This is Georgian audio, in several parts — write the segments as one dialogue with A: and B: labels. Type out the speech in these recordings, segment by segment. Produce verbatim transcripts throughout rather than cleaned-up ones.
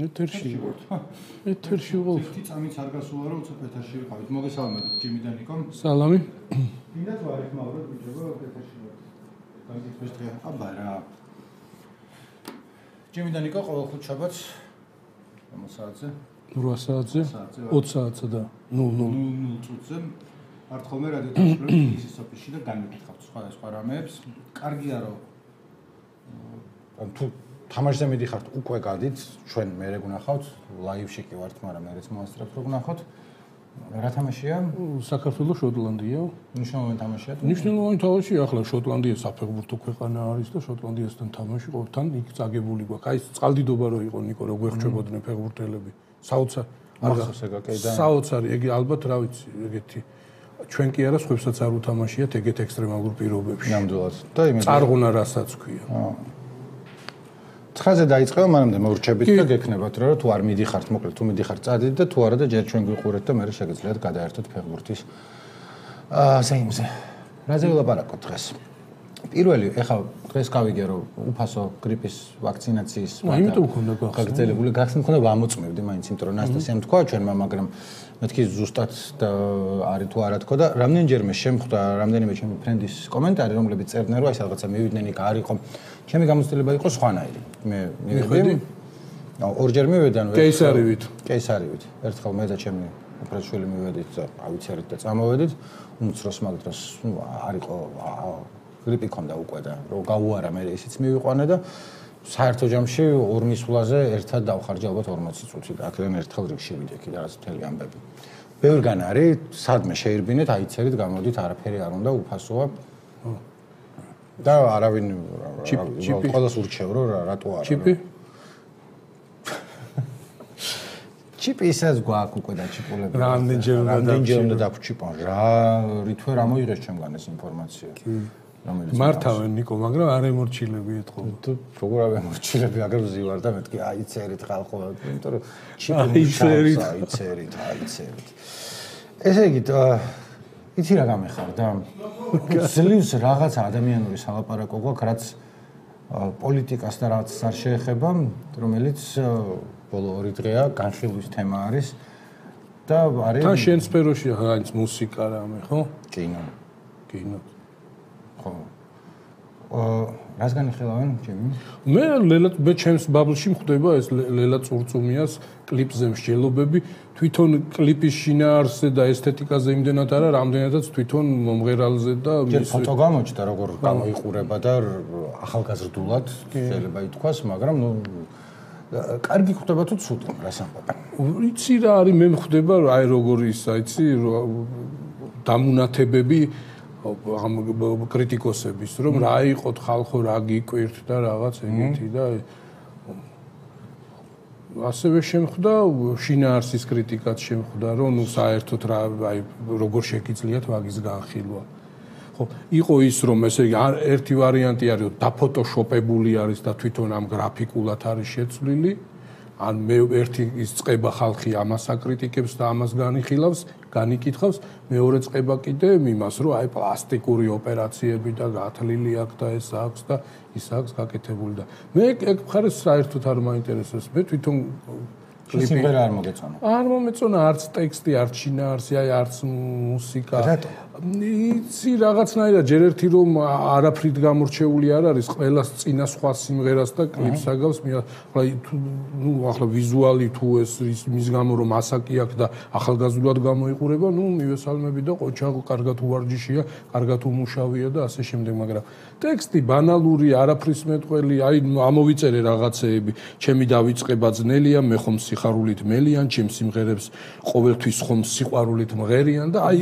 A: ეთერში ვარ. ეთერში ვარ.
B: ერთი წამიც არ გასულა რომ უცებ ეთერში ვიყავით. მოგესალმებით ჯიმი და ნიკო.
A: სალამი.
B: მინდა თუ არ ეხმაუროთ ბიჭებო ეთერში ვარ. გაგიწევს დღე. აბა რა. ჯიმი და ნიკო ყოველ ხუთშაბათს ამ საათზე
A: რვა საათზე ოც საათზე და ნულ ნულ
B: ნულ წუთზე არ თხოვმე რადიო თეატრში ისის ოფისში და განვიკითხავთ სხვა სხვა რამეებს. კარგია რომ თუ თამაშზე მიდიხართ უკვე გადით, ჩვენ მერე გნახავთ, ლაივში კი ვართ, მაგრამ მერეც მოასწრებთ რომ გნახავთ. რა თამაშია?
A: საქართველოს შოტლანდია.
B: მნიშვნელოვანი თამაშია.
A: მნიშვნელოვანი თამაშია, ახლა შოტლანდია საფეხბურთო ქვეყანა არის და შოტლანდიასთან თამაში ყოველთან იქ წაგებული გვაქვს. აი წყალდიდობა რო იყო ნიკო, რო გვერჩებოდნენ ფეხბურთელები. საოცარ
B: არ გახსოვს ეგ აკედა.
A: საოცარი, ეგ ალბათ რა ვიცი, ეგეთი ჩვენ კი არა, სხვებსაც არ უთამაშიათ ეგეთ ექსტრემალურ პირობებში.
B: ნამდვილად. და იმედი
A: წარღუნა რასაც ქვია.
B: აა ცხრაზე დაიწყება, მანამდე მოურჩებით და გექნებათ რა, თუ არ მიდიხართ, მოკლედ თუ მიდიხართ წადით და თუ არა და ჯერ ჩვენ გვიყურეთ და მე შეგიძლიათ გადაერთოთ ფეხბურთის აა ზეიმზე. რაზე ვილაპარაკოთ დღეს? პირველი, ეხლა დღეს გავიგე რომ უფასო გრიპის ვაქცინაციის
A: იმიტომ მქონდა გახსნა.
B: გაგრძელებული გახსნა მქონდა ვამოწმევდი მაინც იმიტომ რომ ნასტასიამ თქვა ჩვენმა, მაგრამ მეთქი ზუსტად და არის თუ არა თქო და რამდენჯერმე შემხვდა რამდენიმე ჩემი ფრენდის კომენტარი რომლებიც წერდნენ რომ აი რაღაცა მივიდნენ იქ არ იყო ჩემი გამოცდილება იყო სხვანაირი მე მივედი ორჯერ მივედი ანუ
A: კეისარივით
B: კეისარივით ერთხელ მე და ჩემი უფროსშვილი მივედით და ავიცერით და წამოვედით უმცროს მაგ დროს არ იყო გრიპი ქონდა უკვე და რომ გაუარა მე ისიც მივიყვანე და საერთო ჯამში ორ მისვლაზე ერთად დავხარჯე ალბათ ორმოცი წუთი და აქედან ერთხელ რიგში ვიდექი და რაღაც მთელი ამბები. ბევრგან არის, სადმე შეირბინეთ, აიცერით, გამოდით, არაფერი არ უნდა, უფასოა. და არავინ ყველას ურჩევ რომ რატო არა.
A: ჩიპი?
B: ჩიპი ისაც გვაქვს უკვე დაჩიპულები.
A: რამდენჯერ უნდა
B: რამდენჯერ უნდა დავჩიპონ რა, რითვე რა მოიღეს ჩემგან ეს ინფორმაცია.
A: მართავენ ნიკო, მაგრამ არ ემორჩილები ეთქო.
B: თუ როგორ არ ემორჩილები, აგერ ვზივარ და მეთქი აიწერით ხალხო, იმიტომ რომ ჩიპი აიწერით, აიწერით, აიწერით. ესე იგი, იცი რა გამეხარდა? ძლივს რაღაცა ადამიანური სალაპარაკო გვაქვს, რაც პოლიტიკას და რაღაც არ შეეხება, რომელიც ბოლო ორი დღეა განხილვის თემა არის და არის
A: თან შენ სფეროშია რაღაც მუსიკა რამე, ხო?
B: კინო.
A: კინო.
B: ხო. აა რას განიხილავენ ჩემი?
A: მე ლელა მე ჩემს ბაბლში მხვდება ეს ლელა წურწუმიას კლიპზე მსჯელობები, თვითონ კლიპის შინაარსზე და ესთეტიკაზე იმდენად არა, რამდენადაც თვითონ მომღერალზე და
B: მის ფოტო გამოჩნდა როგორ გამოიყურება და ახალგაზრდულად შეიძლება ითქვას, მაგრამ ნუ კარგი ხდება თუ ცუდი, რას ამბობ?
A: იცი რა არის მე მხვდება აი როგორ ის აიცი დამუნათებები ამ კრიტიკოსების რომ რა იყოთ ხალხო რა გიკვირთ და რაღაც ეგეთი და ასევე შემხვდა შინაარსის კრიტიკაც შემხვდა რომ ნუ საერთოდ რა აი როგორ შეგიძლიათ ვაგის განხილვა ხო იყო ის რომ ესე იგი ერთი ვარიანტი არის რომ დაფოტოშოპებული არის და თვითონ ამ გრაფიკულად არის შეცვლილი ან მე ერთი ის წება ხალხი ამას აკრიტიკებს და ამას განიხილავს, განიკითხავს, მეორე წება კიდე იმას, რომ აი პლასტიკური ოპერაციები და გათლილი აქვს და ეს აქვს და ის აქვს გაკეთებული და მე ეგ მხარეს საერთოდ არ მაინტერესებს. მე თვითონ
B: კლიპი არ მოგეწონა.
A: არ მომეწონა არც ტექსტი, არც შინაარსი, აი არც მუსიკა.
B: რატო?
A: იცი რაღაცნაირად ჯერ ერთი რომ არაფრით გამორჩეული არ არის, ყველას წინა სხვა სიმღერას და კლიპს აგავს, ახლა ნუ ახლა ვიზუალი თუ ეს მის გამო რომ ასაკი აქვს და ახალგაზრდულად გამოიყურება, ნუ მივესალმები და ყოჩა კარგად უვარჯიშია, კარგად უმუშავია და ასე შემდეგ, მაგრამ ტექსტი ბანალური, არაფრის მეტყველი, აი ამოვიწერე რაღაცეები, ჩემი დავიწყება ძნელია, მე ხომ სიხარულით მელიან, ჩემ სიმღერებს ყოველთვის ხომ სიყვარულით მღერიან და აი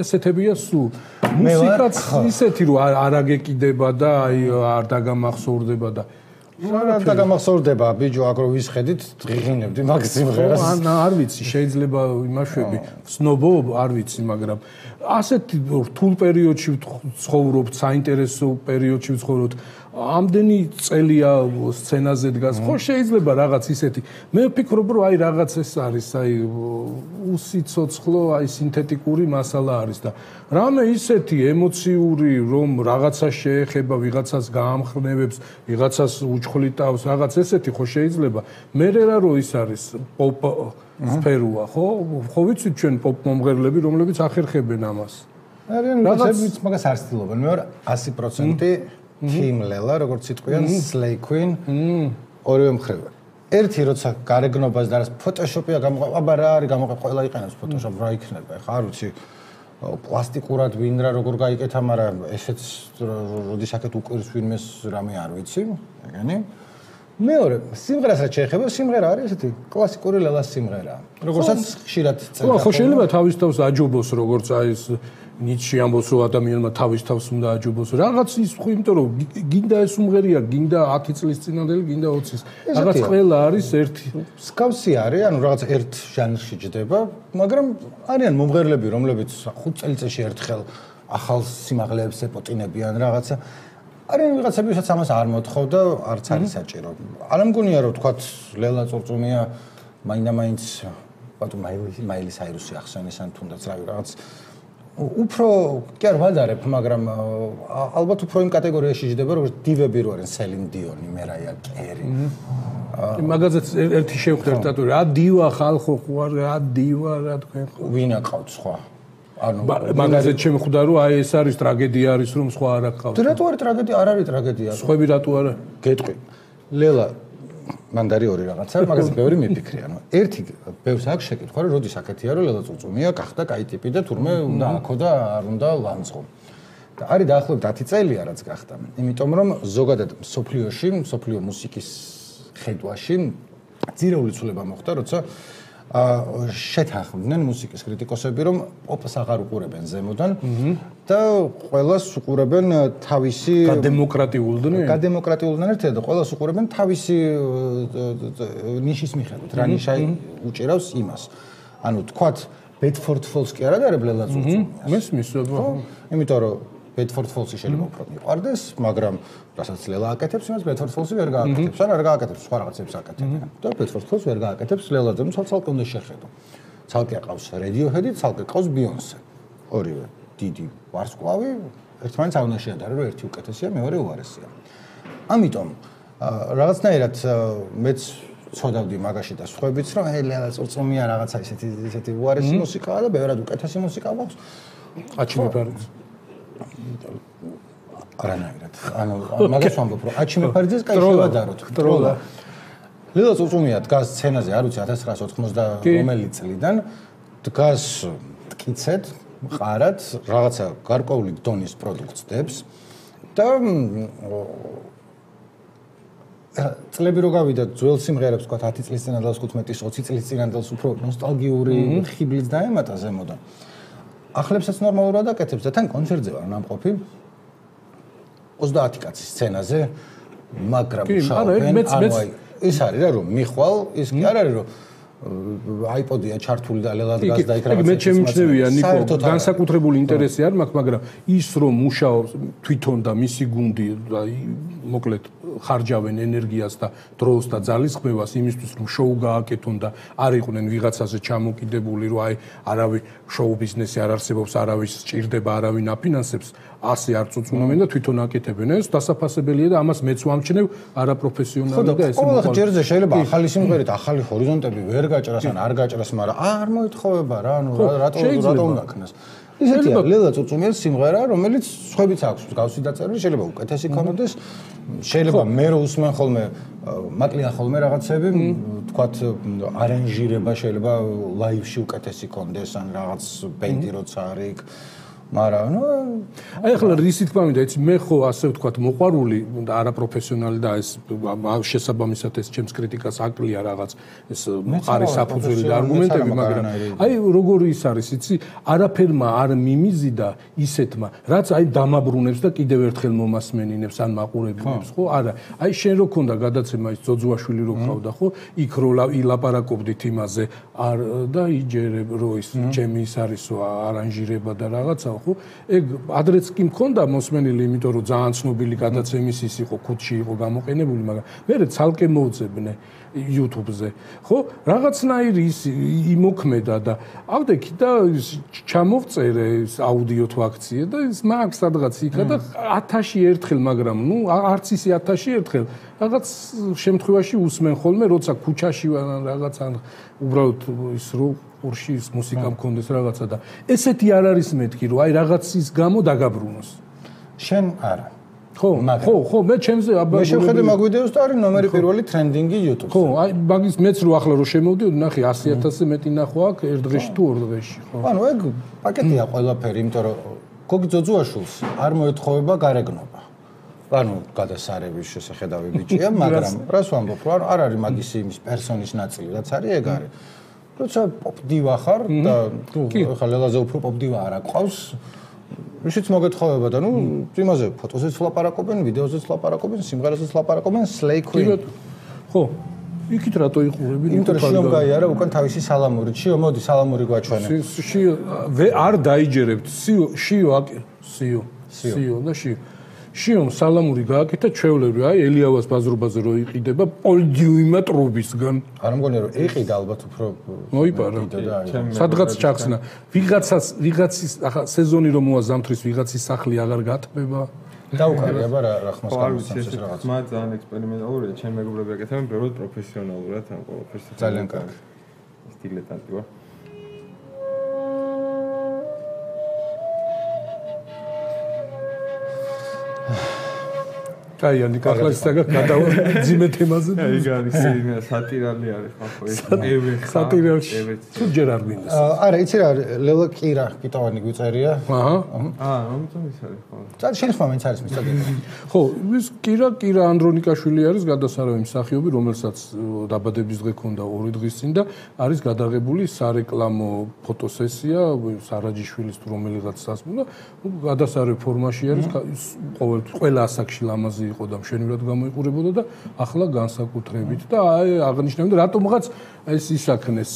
A: ესეთებია სულ. მუსიკაც ისეთი რომ არ აგეკიდება და აი არ დაგამახსოვრდება და
B: არ დაგამახსოვრდება ბიჭო აგრო ვისხედით ღიღინებდი მაგ სიმღერას.
A: ან არ ვიცი შეიძლება იმაშვები, ვცნობო არ ვიცი, მაგრამ ასეთი რთულ პერიოდში ვცხოვრობთ, საინტერესო პერიოდში ვცხოვრობთ. ამდენი წელია სცენაზე დგას. ხო შეიძლება რაღაც ისეთი. მე ვფიქრობ, რომ აი რაღაც ეს არის, აი უსიცოცხლო, აი სინთეტიკური მასალა არის და რამე ისეთი ემოციური, რომ რაღაცა შეეხება, ვიღაცას გაამხნევებს, ვიღაცას უჩხლიტავს, რაღაც ესეთი ხო შეიძლება. მე რა რო ის არის პოპ სფეროა, ხო? ხო ვიცით ჩვენ პოპ მომღერლები, რომლებიც ახერხებენ ამას.
B: არიან ვიღაცებიც მაგას არ ცდილობენ. მე ვარ ათი პროცენტი Team Lela, როგორც იტყვიან, Slay Queen. ორივე მხრივ. ერთი როცა გარეგნობას და რას Photoshop-ია გამოყვა, აბა რა არის გამოყვა, ყველა იყენებს Photoshop, რა იქნება, ხა არ ვიცი. პლასტიკურად ვინ რა როგორ გაიკეთა, მაგრამ ესეც როდის აქეთ უყირს ვინმეს რამე არ ვიცი, ეგენი. მეორე, სიმღერას რაც შეეხება, სიმღერა არის ესეთი კლასიკური Lela-ს სიმღერა. როგორცაც ხშირად წერდა.
A: ხო, შეიძლება თავის თავს აჯობოს, როგორც აი ეს ნიჩი ამბობს, რომ ადამიანმა თავის თავს უნდა აჯობოს. რაღაც ის ხო, იმიტომ რომ გინდა ეს უმღერია, გინდა ათი წლის წინანდელი, გინდა ოცის. რაღაც ყველა არის ერთი.
B: მსგავსი არის, ანუ რაღაც ერთ ჟანრში ჯდება, მაგრამ არიან მომღერლები, რომლებიც ხუთ წელიწადში ერთხელ ახალ სიმაღლეებს ეპოტინებიან რაღაცა. არიან ვიღაცები, ვისაც ამას არ მოთხოვ და არც არის საჭირო. არ მგონია, რომ თქვათ Lela წურწუმია მაინდა-მაინც ბატონ მაილი საირუსი ახსენეს ან თუნდაც რავი რაღაც უფრო კი არ ვადარებ, მაგრამ ალბათ უფრო იმ კატეგორიაში ჯდება, როგორც დივები რო არიან, Celine Dion, Mariah Carey.
A: მაგაზეც ერთი შევხვდა ერთად, რა დივა ხალხო ხوار, რა დივა, რა თქვენ ხო.
B: ვინ აყავთ სხვა? ანუ
A: მაგაზეც შემხვდა, რომ აი ეს არის ტრაგედია არის, რომ სხვა არ აყავთ.
B: რატო არის ტრაგედია? არ არის ტრაგედია.
A: სხვები რატო არა?
B: გეტყვი. Lela მანდარი ორი რაღაცა, მაგაზე ბევრი მიფიქრე, ანუ ერთი ბევრს აქვს შეკითხვა, რომ როდის აქეთია, რომ Lela წურწუმია გახდა კაი ტიპი და თურმე უნდა აქო და არ უნდა ლანძღო. და არის დაახლოებით ათი წელია რაც გახდა. იმიტომ რომ ზოგადად სოფლიოში, სოფლიო მუსიკის ხედვაში ძირეული ცვლილება მოხდა, როცა შეთანხმდნენ მუსიკის კრიტიკოსები, რომ პოპს აღარ უყურებენ ზემოდან და ყველას უყურებენ თავისი
A: გადემოკრატიულდნენ.
B: გადემოკრატიულდნენ ერთად და ყველას უყურებენ თავისი ნიშის მიხედვით. რა ნიშა უჭირავს იმას. ანუ თქვათ Bedford Falls კი არა და არა Lela წურწუმია.
A: მესმის, ხო?
B: იმიტომ რომ Bedford Falls-ი შეიძლება უფრო მიყვარდეს, მაგრამ რასაც Lela აკეთებს, იმას Bedford Falls-ი ვერ გააკეთებს, ან არ გააკეთებს, სხვა რაღაცებს აკეთებენ. და Bedford Falls ვერ გააკეთებს Lela-ზე, ცალ-ცალკე უნდა შეხედო. ცალკე ყავს Radiohead-ი, ცალკე ყავს Beyoncé. ორივე დიდი ვარსკვლავი, ერთმანეთს არ უნდა შეადარო, რომ ერთი უკეთესია, მეორე უარესია. ამიტომ რაღაცნაირად მეც ცოდავდი მაგაში და სხვაებიც, რომ Lela წურწუმია რაღაცა ისეთი ისეთი უარესი მუსიკაა და ბევრად უკეთესი მუსიკა გვაქვს.
A: აჩიმე ფარიც.
B: არანაირად. ანუ მაგას ვამბობ, რომ აჩიმე ფარიძეს კაი შევადაროთ.
A: ტროლა.
B: Lela წურწუმია დგას სცენაზე, არ ვიცი ათას ცხრაასი ოთხმოცდა რომელი წლიდან, დგას მტკიცედ, მყარად, რაღაცა გარკვეული დონის პროდუქტს დებს და წლები რო გავიდა ძველ სიმღერებს, თქვა ათი წლის წინანდელს, ხუთმეტის, ოცი წლის წინანდელს უფრო ნოსტალგიური ხიბლიც დაემატა ზემოდან. ახლებსაც ნორმალურად აკეთებს და თან კონცერტზე ვარ ნამყოფი ოცდაათი კაცის სცენაზე, მაგრამ შავენ, ანუ ის არის რა რომ მიხვალ, ის კი არ არის რომ iPod-ია ჩართული და Lela დგას და იქ რაღაცა.
A: მე შემჩნევია ნიკო, განსაკუთრებული ინტერესი არ მაქვს, მაგრამ ის რომ მუშაობს თვითონ და მისი გუნდი და მოკლედ ხარჯავენ ენერგიას და დროს და ძალისხმევას იმისთვის რომ შოუ გააკეთონ და არ იყვნენ ვიღაცაზე ჩამოკიდებული, რომ აი არავის შოუ ბიზნესი არ არსებობს, არავის სჭირდება, არავინ აფინანსებს, ასე არ წუწუნავენ და თვითონ აკეთებენ. ეს დასაფასებელია და ამას მეც ვამჩნევ არაპროფესიონალი და ესე
B: მოყვა. ხო, ჯერზე შეიძლება ახალი სიმღერით, ახალი ჰორიზონტები ვერ გაჭრას ან არ გაჭრას, მაგრამ არ მოითხოვება რა, ანუ რატო რატო უნდა ქნას. ისეთია Lela წურწუმიას სიმღერა, რომელიც სხვებიც აქვს გავსი დაწერილი, შეიძლება უკეთესი ქონოდეს, შეიძლება მე რო უსმენ ხოლმე მაკლია ხოლმე რაღაცები, თქვათ არანჟირება შეიძლება ლაივში უკეთესი ქონდეს, ან რაღაც ბენდი როცა არის იქ მაგრამ ნუ
A: აი ახლა რისი თქმა მინდა იცი მე ხო ასე ვთქვათ მოყვარული და არაპროფესიონალი და ეს შესაბამისად ეს ჩემს კრიტიკას აკლია რაღაც ეს მყარი საფუძველი და არგუმენტები მაგრამ აი როგორი ის არის იცი არაფერმა არ მიმიზიდა ისეთმა რაც აი დამაბრუნებს და კიდევ ერთხელ მომასმენინებს ან მაყურებელებს ხო არა აი შენ რო ქონდა გადაცემა ის ძოძუაშვილი რო ყავდა ხო იქ რო ილაპარაკობდით იმაზე არ და იჯერებ რო ის ჩემი ის არისო არანჟირება და რაღაცა ხო ეგ ადრეც კი მქონდა მოსმენილი იმიტომ რომ ძალიან ცნობილი გადაცემის ის იყო ქუდში იყო გამოყენებული მაგრამ მე ცალკე მოვძებნე YouTube-ზე ხო რაღაცნაირი ის იმოქმედა და ავდექი და ჩამოვწერე ის აუდიო თუ აქცია და ის მაგ სადღაც იქა და ათაში ერთხელ მაგრამ ნუ არც ისი ათაში ერთხელ რაღაც შემთხვევაში უსმენ ხოლმე როცა ქუჩაში ვარ რაღაც ან უბრალოდ ის რო ყურში ის მუსიკა მქონდეს რაღაცა და ესეთი არ არის მეთქი რომ აი რაღაცის გამო დაგაბრუნოს
B: შენ არა
A: ხო ხო ხო მე ჩემზე აბა
B: მე შევხედე მაგ ვიდეოს და არის ნომერი პირველი ტრენდინგი YouTube-ზე
A: ხო აი მაგის მეც რო ახლა რო შემოვდიოდი ნახე ასი ათასზე მეტი ნახვა აქვს ერთ დღეში თუ ორ დღეში ხო
B: ანუ ეგ პაკეტია ყველაფერი იმიტომ რომ გოგი ძოძუაშვილს არ მოეთხოვება გარეგნობა ანუ გადასარების შესახედავი ბიჭია მაგრამ რას ვამბობ რომ არ არის მაგის იმის პერსონის ნაწილი რაც არის ეგ არის როცა პოპდივა ხარ და თუ ხა ლელაზე უფრო პოპდივა არ აყავს ისიც მოგეთხოვება და ნუ იმაზე ფოტოზეც ლაპარაკობენ, ვიდეოზეც ლაპარაკობენ, სიმღერაზეც ლაპარაკობენ, Slay Queen.
A: ხო. იქით რატო იყურები?
B: იმიტომ რომ შიომ გაიარა უკან თავისი სალამური. შიო, მოდი სალამური გვაჩვენე.
A: შიო არ დაიჯერებთ. შიო, შიო, შიო. შიო და შიო. შიომ სალამური გააკეთა ჩვეულებრივ აი ელიავას ბაზრობაზე რო იყიდება პოლდიუმა ტრუბისგან.
B: არ მგონია რომ ეყიდა ალბათ უფრო
A: მოიპარა. სადღაც ჩახსნა. ვიღაცას ვიღაცის ახლა სეზონი რომ მოაზამთრის ვიღაცის სახლი აღარ გატბება.
B: დაუკარგება რა რა ხმას გამოსცემს რაღაც.
C: მა ძალიან ექსპერიმენტალურია, ჩემ მეგობრები აკეთებენ ბევრად პროფესიონალურად ამ ყველაფერს.
B: ძალიან კარგი.
C: სტილეტანტი ვარ.
A: აი, ანუ ახლა ისაგა გადავა ძიმე თემაზე.
C: აი, არის სატირალი არის ხო ეს.
A: სატირალში. თუ ჯერ არ მინდა.
B: არა, იცი რა, ლელა კირა კიტოვანი გვიწერია.
A: აჰა.
C: აა, ამიტომ ის არის ხო.
B: წარ შენ ხმა მეც არის მისწოდი.
A: ხო, ის კირა კირა ანდრონიკაშვილი არის გადასარავი მსახიობი, რომელსაც დაბადების დღე ქონდა ორი დღის წინ და არის გადაღებული სარეკლამო ფოტოსესია სარაჯიშვილის თუ რომელიღაც სასმულა, გადასარავი ფორმაში არის, ყოველ ყველა ასაკში ლამაზი იყო და მშვენივრად გამოიყურებოდა და ახლა განსაკუთრებით და აი აღნიშნავენ რატომღაც ეს ისაქნეს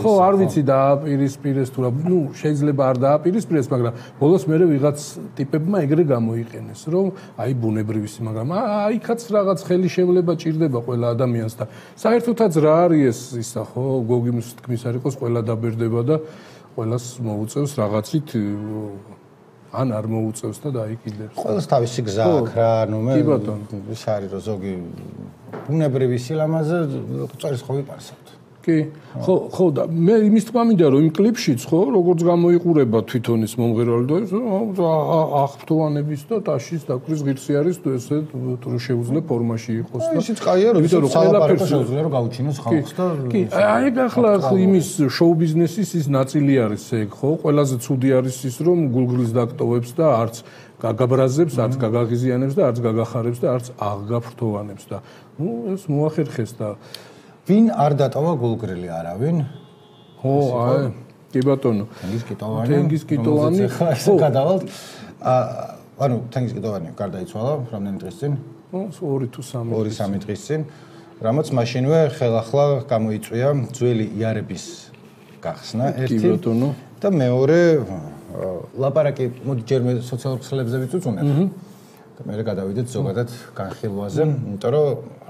A: ხო არ ვიცი დააპირისპირეს თუ რა ნუ შეიძლება არ დააპირისპირეს მაგრამ ბოლოს მე ვიღაც ტიპებმა ეგრე გამოიყენეს რომ აი ბუნებრივისი მაგრამ აიქაც რაღაც ხელი შევლება ჭირდება ყველა ადამიანს და საერთოდაც რა არის ეს ისა ხო გოგიმის თქმის არ იყოს ყველა დაბერდება და ყველას მოუწევს რაღაცით ან არ მოუწევს და დაიკიდებს.
B: ყველას თავისი გზა აქვს რა, ანუ მე ის არის რომ ზოგი ბუნებრივი სილამაზე წერს ხო ვიპარსავთ.
A: კი. ხო, ხო და მე იმის თქმა მინდა რომ იმ კლიპშიც ხო როგორც გამოიყურება თვითონ ის მომღერალი და აღფრთოვანების და ტაშის დაკვრის ღირსი არის თუ ესე თუ შეუძლია ფორმაში იყოს და
B: ისიც კაია რომ ისე ყველაფერს შეუძლია რომ გაუჩინოს ხალხს და
A: კი, აი ახლა იმის შოუ ბიზნესის ის ნაწილი არის ეგ ხო ყველაზე ცუდი არის ის რომ გულგრილს დაკტოვებს და არც გაგაბრაზებს, არც გაგაღიზიანებს და არც გაგახარებს და არც აღგაფრთოვანებს და ნუ ეს მოახერხეს და
B: ვინ არ დატოვა გულგრილი არავინ?
A: ხო, აი, კი ბატონო.
B: თენგიზ კიტოვანი.
A: თენგიზ კიტოვანი.
B: ხო, გადავალთ. ანუ თენგიზ კიტოვანი გარდაიცვალა რამდენი დღის წინ?
A: ორი თუ სამი.
B: ორი სამი დღის წინ. რამაც მაშინვე ხელახლა გამოიწვია ძველი იარების გახსნა ერთი.
A: კი ბატონო.
B: და მეორე ლაპარაკი მოდი ჯერ მე სოციალურ ქსელებზეც უწუნებ. და მე გადავიდეთ ზოგადად განხილვაზე, იმიტომ რომ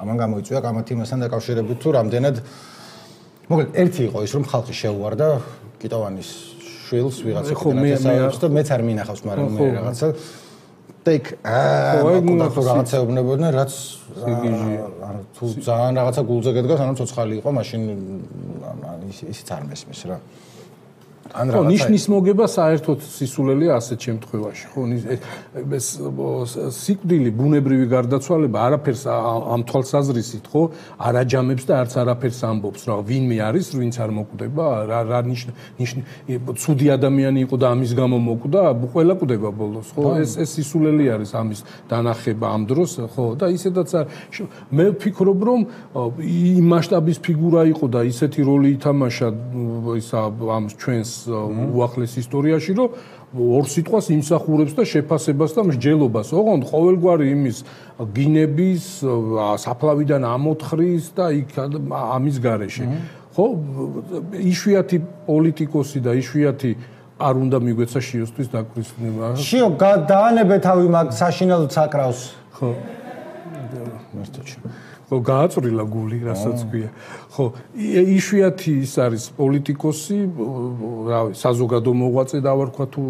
B: ამან გამოიწვია კამათი მასთან დაკავშირებით თუ რამდენად მოკლედ ერთი იყო ის რომ ხალხი შეუვარდა კიტოვანის შვილს ვიღაცა კიტოვანის და მეც არ მინახავს, მაგრამ მე რაღაცა და იქ აა თუ რაღაცეობნებოდნენ, რაც ანუ თუ ძალიან რაღაცა გულზე გედგას, ანუ ცოცხალი იყო, მაშინ ისიც არ მესმის რა. ან
A: რაღაცა. ხო, ნიშნის მოგება საერთოდ სისულელია ასეთ შემთხვევაში. ხო, ეს სიკვდილი, ბუნებრივი გარდაცვალება არაფერს ამ თვალსაზრისით, ხო, არ აჯამებს და არც არაფერს ამბობს, რა ვინმე არის, ვინც არ მოკვდება, რა რა ნიშნ ცუდი ადამიანი იყო და ამის გამო მოკვდა, ყველა კვდება ბოლოს, ხო? ეს ეს სისულელი არის ამის დანახება ამ დროს, ხო, და ისედაც მე ვფიქრობ, რომ იმ მასშტაბის ფიგურა იყო და ისეთი როლი ითამაშა ისა ამ ჩვენს უახლეს ისტორიაში, რომ ორ სიტყვას იმსახურებს და შეფასებას და მსჯელობას. ოღონდ ყოველგვარი იმის გინების, საფლავიდან ამოთხრის და იქ ამის გარეშე. ხო, იშვიათი პოლიტიკოსი და იშვიათი არ უნდა მიგვეცა შიოსთვის დაკვირვება.
B: შიო, დაანებე თავი მაგ საშინელო საკრავს.
A: ხო. მართლა. ხო, გააწვრილა გული, რასაც ქვია. ხო, იშვიათი ის არის პოლიტიკოსი, რავი, საზოგადო მოღვაწე დავარქვა თუ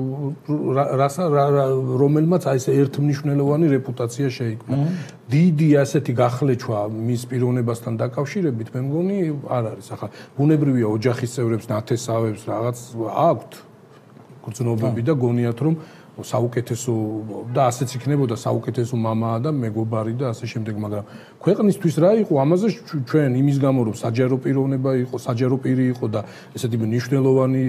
A: რომელმაც აი ეს ერთმნიშვნელოვანი რეპუტაცია შეიქმნა. დიდი ასეთი გახლეჩვა მის პიროვნებასთან დაკავშირებით მე მგონი არ არის. ახლა ბუნებრივია ოჯახის წევრებს, ნათესავებს რაღაც აქვთ გრძნობები და გონიათ რომ საუკეთესო და ასეც იქნებოდა საუკეთესო მამაა და მეგობარი და ასე შემდეგ, მაგრამ ქვეყნისთვის რა იყო ამაზე ჩვენ იმის გამო რომ საჯარო პიროვნება იყო, საჯარო პირი იყო და ესეთი მნიშვნელოვანი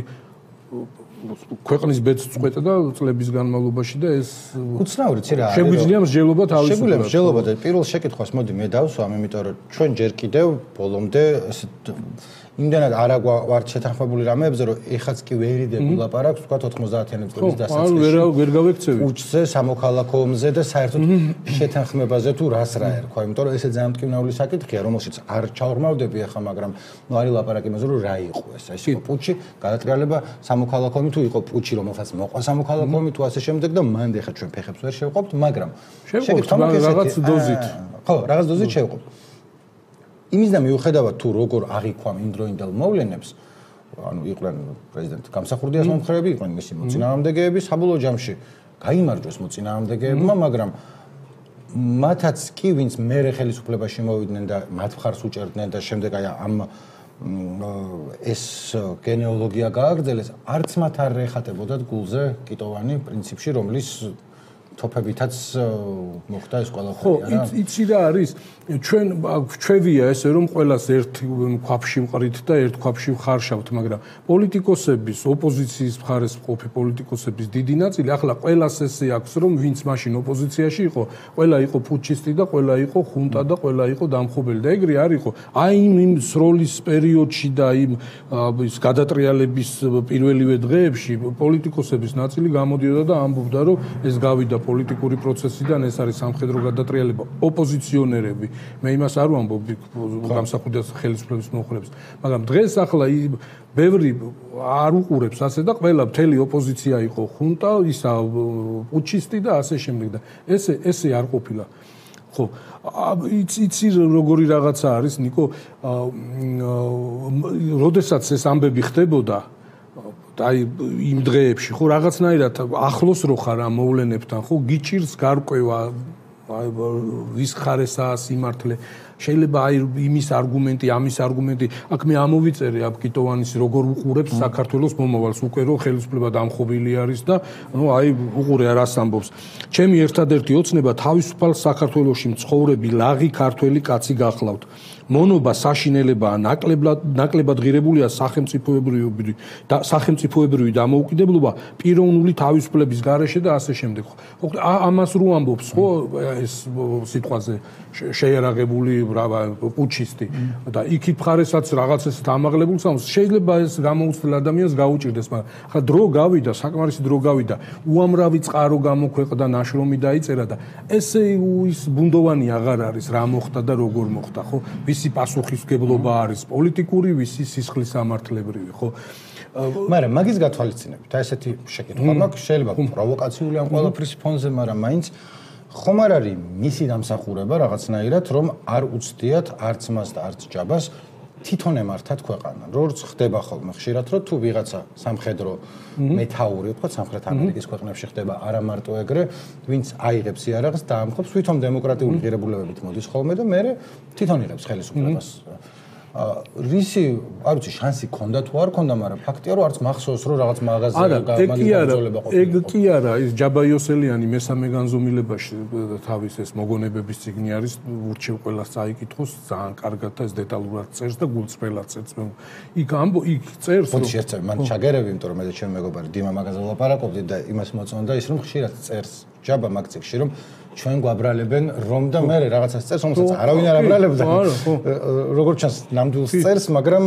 A: ქვეყნის ბედს წყვეტა და წლების განმავლობაში და ეს
B: უცნაური ცირა არის.
A: შეგვიძლია მსჯელობა თავისუფლად.
B: შეგვიძლია მსჯელობა და პირველ შეკითხვას მოდი მე დავსვამ, იმიტომ რომ ჩვენ ჯერ კიდევ ბოლომდე იმდენად არ ვართ შეთანხმებული რამეებზე, რომ ეხაც კი ვერიდები ლაპარაკს, თქვა ოთხმოცდაათიანი წლების დასაწყისში.
A: ვერ ვერ გავექცევი.
B: უჩზე, სამოქალაქო ომზე და საერთოდ შეთანხმებაზე თუ რას რა ერქვა, იმიტომ რომ ესე ძალიან მტკივნეული საკითხია, რომელშიც არ ჩავღრმავდები ახლა, მაგრამ ნუ არის ლაპარაკი იმაზე, რომ რა იყო ეს. ეს იყო პუჩი, გადატრიალება, სამოქალაქო ომი თუ იყო პუჩი, რომელსაც მოყვა სამოქალაქო ომი თუ ასე შემდეგ და მანდ ეხლა ჩვენ ფეხებს ვერ შევყოფთ, მაგრამ
A: შევყოფთ რაღაც დოზით.
B: ხო, რაღაც დოზით შევყოფთ. იმის და მიუხედავად თუ როგორ აღიქვამ იმდროინდელ მოვლენებს, ანუ იყვნენ პრეზიდენტ გამსახურდიას მომხრეები, იყვნენ მისი მოწინააღმდეგეები, საბოლოო ჯამში გაიმარჯვეს მოწინააღმდეგეებმა, მაგრამ მათაც კი ვინც მერე ხელისუფლებაში მოვიდნენ და მათ მხარს უჭერდნენ და შემდეგ აი ამ ეს გენეალოგია გააგრძელეს, არც მათ არ ეხატებოდათ გულზე კიტოვანი პრინციპში, რომლის თოფებითაც მოხდა ეს ყველაფერი არა?
A: ხო, იცი რა არის? ჩვენ ჩვევია ესე რომ ყველას ერთ ქვაფში მყრით და ერთ ქვაფში ხარშავთ, მაგრამ პოლიტიკოსების, ოპოზიციის მხარეს მყოფი პოლიტიკოსების დიდი ნაწილი ახლა ყველას ესე აქვს, რომ ვინც მაშინ ოპოზიციაში იყო, ყველა იყო პუჩისტი და ყველა იყო ხუნტა და ყველა იყო დამხობელი და ეგრე არ იყო. აი იმ სროლის პერიოდში და იმ ის გადატრიალების პირველივე დღეებში პოლიტიკოსების ნაწილი გამოდიოდა და ამბობდა, რომ ეს გავიდა პოლიტიკური პროცესიდან, ეს არის სამხედრო გადატრიალება, ოპოზიციონერები. მე იმას არ ვამბობ გამსახურდიას ხელისუფლების მომხრეებს, მაგრამ დღეს ახლა ბევრი არ უყურებს ასე და ყველა მთელი ოპოზიცია იყო ხუნტა, ისა პუჩისტი და ასე შემდეგ და ესე ესე არ ყოფილა. ხო, იცი როგორი რაღაცა არის, ნიკო, როდესაც ეს ამბები ხდებოდა აი იმ დღეებში ხო რაღაცნაირად ახლოს რო ხარ ამ მოვლენებთან ხო გიჭირს გარკვევა აი ვის ხარესაა სიმართლე შეიძლება აი იმის არგუმენტი ამის არგუმენტი აქ მე ამოვიწერე აბ კიტოვანის როგორ უყურებს საქართველოს მომავალს უკვე რო ხელისუფლება დამხობილი არის და ნუ აი უყურე რას ამბობს ჩემი ერთადერთი ოცნება თავისუფალ საქართველოში მცხოვრები ლაღი ქართველი კაცი გახლავთ მონობა საშინელებაა ნაკლებად ნაკლებად ღირებულია სახელმწიფოებრივი და სახელმწიფოებრივი დამოუკიდებლობა პიროვნული თავისუფლების გარეშე და ასე შემდეგ. ხო ამას რო ამბობს ხო ეს სიტყვაზე შეიარაღებული პუჩისტი და იქით მხარესაც რაღაცას დამაღლებულს ამბობს შეიძლება ეს გამოუცდელ ადამიანს გაუჭირდეს მაგრამ ხა დრო გავიდა საკმარისი დრო გავიდა უამრავი წყარო გამოქვეყდა ნაშრომი დაიწერა და ესე ის ბუნდოვანი აღარ არის რა მოხდა და როგორ მოხდა ხო ვისი პასუხისმგებლობა არის პოლიტიკური, ვისი სისხლის სამართლებრივი, ხო?
B: მაგრამ მაგის გათვალისწინებით, აი ესეთი შეკითხვა მაქვს, შეიძლება პროვოკაციული ამ ყველაფრის ფონზე, მაგრამ მაინც ხომ არ არის მისი დამსახურება რაღაცნაირად, რომ არ უცდიათ არც მას და არც ჯაბას თვითონ ემართათ ქვეყანა. როგორც ხდება ხოლმე ხშირად, რომ თუ ვიღაცა სამხედრო მეთაური, ვთქვათ, სამხრეთ ამერიკის ქვეყნებში ხდება არა მარტო ეგრე, ვინც აიღებს იარაღს და ამხობს თვითონ დემოკრატიული ღირებულებებით მოდის ხოლმე და მე თვითონ იღებს ხელისუფლებას. რისი, არ ვიცი, შანსი ქონდა თუ არ ქონდა, მაგრამ ფაქტია, რომ არც მახსოვს, რომ რაღაც მაღაზია
A: გამაგზავნება ყოფილა. ეგ კი არა, ის ჯაბაიოსელიანი მესამე განზომილებაში თავის ეს მოგონებების წიგნი არის, ურჩევ ყველას წაიკითხოს, ძალიან კარგად და ეს დეტალურად წერს და გულწრფელად წერს. იქ ამბო, იქ წერს.
B: ხოთი შეერწევი, მან ჩაგერები, იმიტომ რომ მე და ჩემი მეგობარი დიმა მაგაზე ვლაპარაკობდით და იმას მოწონდა ის, რომ ხშირად წერს ჯაბა მაგ წიგნში, რომ ჩვენ გვაბრალებენ რომ და მე რაღაცას წერს, რომელსაც არავინ არ აბრალებდა. როგორც ჩანს, ნამდვილს წერს, მაგრამ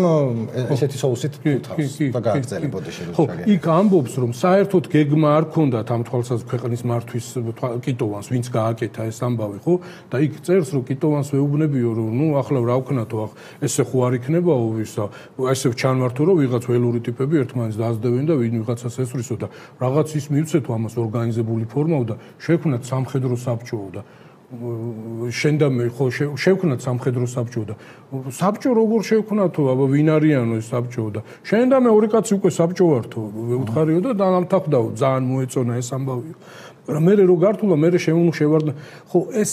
B: ესეთი соусით თავს და გააგრძელებოდა შეიძლება.
A: ხო, იქ ამბობს, რომ საერთოდ გეგმა არ ქონდათ ამ თვალსაზრისით ქვეყნის მართვის კიტოვანს, ვინც გააკეთა ეს ამბავი, ხო? და იქ წერს, რომ კიტოვანს ვეუბნებიო, რომ ნუ ახლა რა ვქნათო, ესე ხო არ იქნებაო ვისა, ესე ჩანმართო, რომ ვიღაც ველური ტიპები ერთმანეთს დაასდევენ და ვინ ვიღაცას ესვრისო და რაღაც ის მივცეთო ამას ორგანიზებული ფორმაო და შექმნათ სამხედრო საბჭო და შენ და მე ხო შევქნათ სამხედრო საბჭო და საბჭო როგორ შევქნათო, აბა ვინ არიანო ეს საბჭო და შენ და მე ორი კაცი უკვე საბჭო ვართო, ვეუთხარიო და დამთავრდაო, ძალიან მოეწონა ეს ამბავი. მაგრამ მე რო გართულა, მე შევარდნა, ხო ეს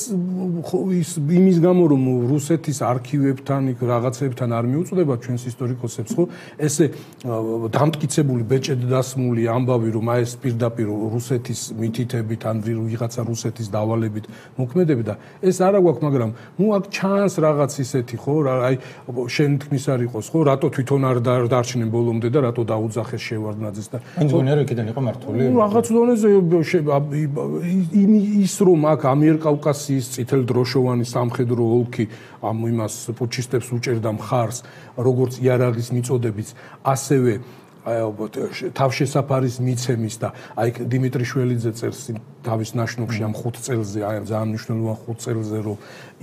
A: ხო ის იმის გამო რომ რუსეთის არქივებთან, იქ რაღაცებთან არ მიუწვდება ჩვენს ისტორიკოსებს, ხო ესე დამტკიცებული ბეჭედ დასმული ამბავი რომ აი ეს პირდაპირ რუსეთის მითითებით ან ვიღაცა რუსეთის დავალებით მოქმედებდა, ეს არა გვაქვს, მაგრამ ნუ აქ ჩანს რაღაც ისეთი, ხო აი შენ თქმის არ იყოს, ხო რატო თვითონ არ დარჩნენ ბოლომდე და რატო დაუძახეს შევარდნაძეს და
B: მგონია რომ იქიდან იყო მართული.
A: ნუ რაღაც დონეზე ის რომ აქ ამიერკავკასიის წითელდროშოვანი სამხედრო ოლქი ამ იმას პუჩისტებს უჭერდა მხარს, როგორც იარაღის მიწოდებიც, ასევე თავშესაფარის მიცემის და აი დიმიტრი შველიძე წერს თავის ნაშრომში ამ ხუთ წელზე, აი ძალიან მნიშვნელოვან ხუთ წელზე, რომ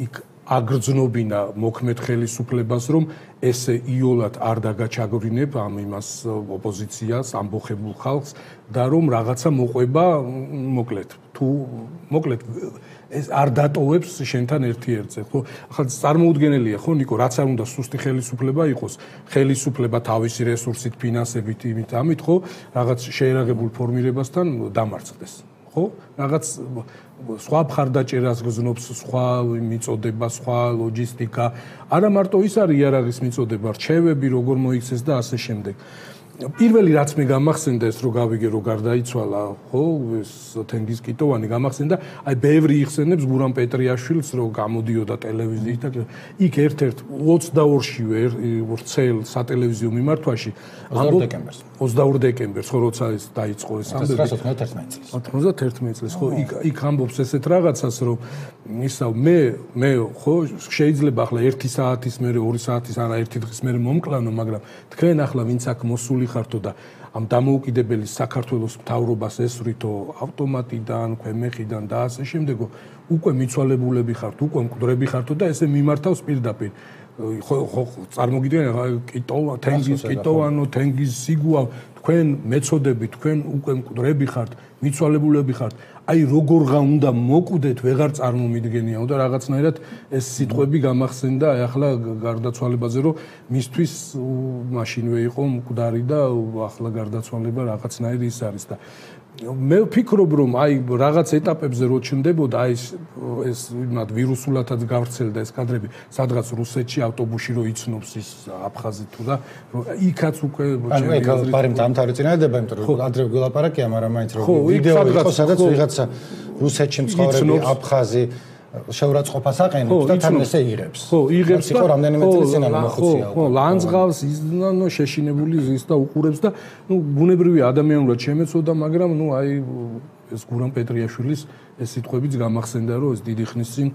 A: იქ აგრძნობინა მოქმედ ხელისუფლებას, რომ ესე იოლად არ დაგაჩაგვრინებ ამ იმას ოპოზიციას, ამბოხებულ ხალხს და რომ რაღაცა მოყვება, მოკლედ, თუ მოკლედ ეს არ დატოვებს შენთან ერთი ერთზე, ხო? ახლა წარმოუდგენელია, ხო, ნიკო, რაც არ უნდა სუსტი ხელისუფლება იყოს, ხელისუფლება თავისი რესურსით, ფინანსებით, იმით, ამით, ხო, რაღაც შეერაღებულ ფორმირებასთან დამარცხდეს. ხო? რაღაც სხვა მხარდაჭერას გზნობს, სხვა მიწოდება, სხვა ლოჯისტიკა. არა მარტო ის არის იარაღის მიწოდება, რჩევები როგორ მოიქცეს და ასე შემდეგ. პირველი რაც მე გამახსენდა ეს რო გავიგე რო გარდაიცვალა, ხო, ეს თენგიზ კიტოვანი გამახსენდა, აი ბევრი იხსენებს გურამ პეტრიაშვილს რო გამოდიოდა ტელევიზიით და იქ ერთ-ერთ ოცდაორშივე ვრცელ სატელევიზიო მიმართვაში
B: ოცდაორი დეკემბერს
A: ოცდაორი დეკემბერს ხო როცა ეს დაიწყო ეს ამბები
B: ოცდაათერთმეტ წელს
A: ოცდაათერთმეტ წელს ხო იქ იქ ამბობს ესეთ რაღაცას რომ ისა მე მე ხო შეიძლება ახლა ერთი საათის მერე ორი საათის არა ერთი დღის მერე მომკლანო, მაგრამ თქვენ ახლა ვინც აქ მოსული ხართო და ამ დამოუკიდებელი საქართველოს მთავრობას ესვრითო ავტომატიდან, ქვემეხიდან და ასე შემდეგო უკვე მიცვალებულები ხართ, უკვე მკვდრები ხართო და ესე მიმართავს პირდაპირ. ხო ხო წარმოგიდგენთ კიტოვა, თენგიზ კიტოვანო, თენგიზ სიგუა, თქვენ მეწოდები, თქვენ უკვე მკვდრები ხართ, მიცვალებულები ხართ. აი როგორღა უნდა მოკვდეთ, ვეღარ წარმომიდგენიაო და რაღაცნაირად ეს სიტყვები გამახსენდა აი ახლა გარდაცვალებაზე, რომ მისთვის მაშინვე იყო მკვდარი და ახლა გარდაცვალება რაღაცნაირი ის არის და მე ვფიქრობ რომ აი რაღაც ეტაპებზე რო ჩნდებოდა აი ეს იმათ ვირუსულათაც გავრცელდა ეს კადრები სადღაც რუსეთში ავტობუსში რო იცნობს ის აფხაზი თუ და იქაც უკვე
B: ანუ ეგ ბარემ დამთავრდა წინადება, იმიტომ რომ ადრე გველაპარაკია, მაგრამ მაინც რო ვიდეო იყო სადაც ვიღაცა რუსეთში მცხოვრები აფხაზი შეურაცხყოფას აყენებს და თან ესე იღებს.
A: ხო, იღებს და
B: იყო რამდენიმე წელი წინ ანუ მოხუცია.
A: ხო, ლანძღავს იზნანო შეშინებული ზის და უყურებს და ნუ ბუნებრივია ადამიანურად შემეცოდა, მაგრამ ნუ აი ეს გურამ პეტრიაშვილის ეს სიტყვებიც გამახსენდა, რომ ეს დიდი ხნის წინ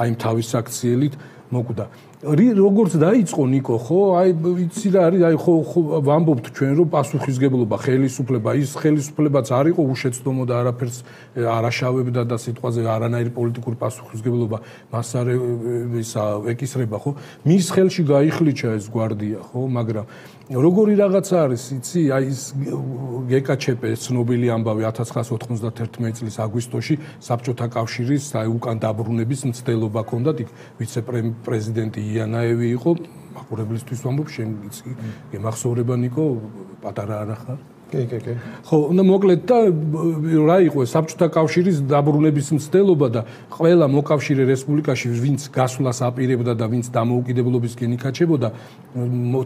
A: აი თავის აქციელით მოკვდა. როგორც დაიწყო ნიკო, ხო, აი ვიცი რა არის, აი ხო ვამბობთ ჩვენ რომ პასუხისგებლობა, ხელისუფლება, ის ხელისუფლებაც არ იყო უშეცდომო და არაფერს არაშავებდა და სიტყვაზე არანაირი პოლიტიკური პასუხისგებლობა მას არ ისა ეკისრება, ხო? მის ხელში გაიხლიჩა ეს გვარდია, ხო, მაგრამ როგორი რაღაცა არის, იცი, აი ეს გეკაჩეპე ცნობილი ამბავი ათას ცხრაასი ოთხმოცდაათერთმეტ წლის აგვისტოში საბჭოთა კავშირის აი უკან დაბრუნების მცდელობა ჰქონდათ, იქ ვიცე-პრეზიდენტი იანაევი იყო, მაყურებლისთვის ვამბობ, შენ იცი, გემახსოვრება ნიკო, პატარა არა ხარ?
B: კი, კი, კი.
A: ხო, და მოკლედ და რა იყო საბჭოთა კავშირის დაბრუნების მცდელობა და ყველა მოკავშირე რესპუბლიკაში ვინც გასვლას აპირებდა და ვინც დამოუკიდებლობისკენ იქაჩებოდა,